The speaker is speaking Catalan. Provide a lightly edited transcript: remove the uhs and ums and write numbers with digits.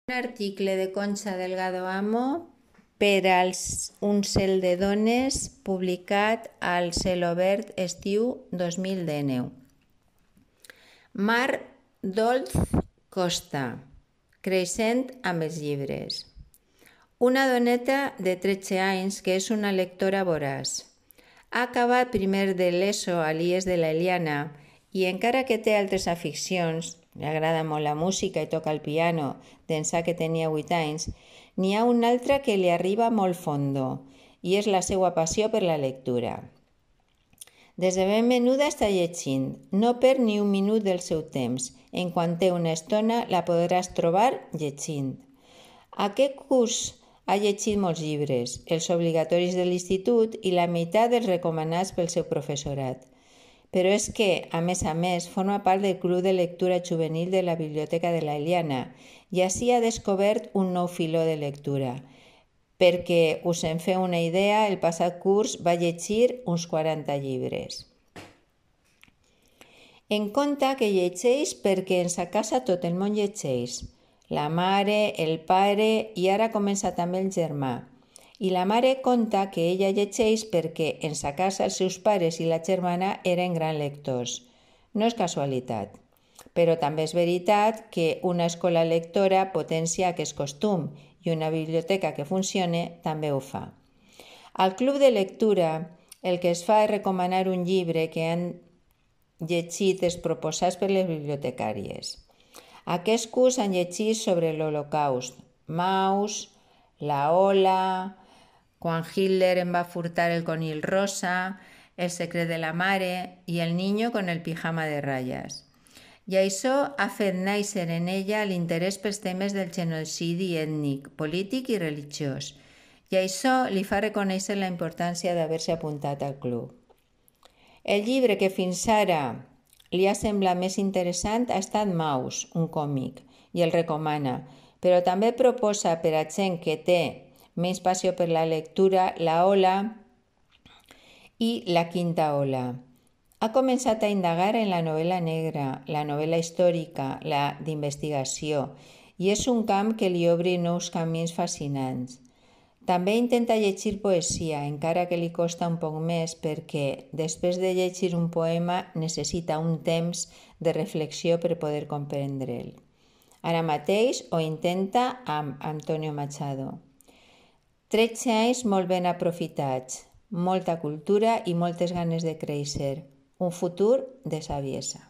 Un article de Concha Delgado Amo per als Un cel de dones publicat al Celobert estiu 2019. Mar Dolz Costa, creixent amb els llibres. Una doneta de 13 anys que és una lectora voraç. Ha acabat primer de l'ESO a l'IES de la Eliana i encara que té altres aficions, li agrada molt la música i toca el piano d'ençà que tenia 8 anys, n'hi ha una altra que li arriba molt fondo i és la seva passió per la lectura. Des de ben menuda està llegint, no perd ni un minut del seu temps. En quan té una estona la podràs trobar llegint. Aquest curs ha llegit molts llibres, els obligatoris de l'institut i la meitat dels recomanats pel seu professorat. Però és que, a més, forma part del club de lectura juvenil de la Biblioteca de la Eliana i així ha descobert un nou filó de lectura. Perquè us en feu una idea, el passat curs va llegir uns 40 llibres. En compte que llegeix perquè en sa casa tot el món llegeix. La mare, el pare i ara comença també el germà. I la mare conta que ella llegeix perquè en sa casa els seus pares i la germana eren grans lectors. No és casualitat. Però també és veritat que una escola lectora potencia aquest costum i una biblioteca que funcione també ho fa. Al club de lectura el que es fa és recomanar un llibre que han llegit els proposats per les bibliotecàries. Aquest curs han llegit sobre l'Holocaust, Maus, La Ola, quan Hitler en va furtar el conill rosa, El secret de la mare i El niño con el pijama de ratlles. I això ha fet néixer en ella l'interès pels temes del genocidi ètnic, polític i religiós. I això li fa reconèixer la importància d'haver-se apuntat al club. El llibre que fins ara li ha semblat més interessant ha estat Maus, un còmic, i el recomana, però també proposa per a gent que té més passió per la lectura La Ola i La quinta ola. Ha començat a indagar en la novel·la negra, la novel·la històrica, la d'investigació, i és un camp que li obre nous camins fascinants. També intenta llegir poesia, encara que li costa un poc més perquè després de llegir un poema necessita un temps de reflexió per poder comprendre'l. Ara mateix ho intenta amb Antonio Machado. 13 anys molt ben aprofitats, molta cultura i moltes ganes de créixer. Un futur de saviesa.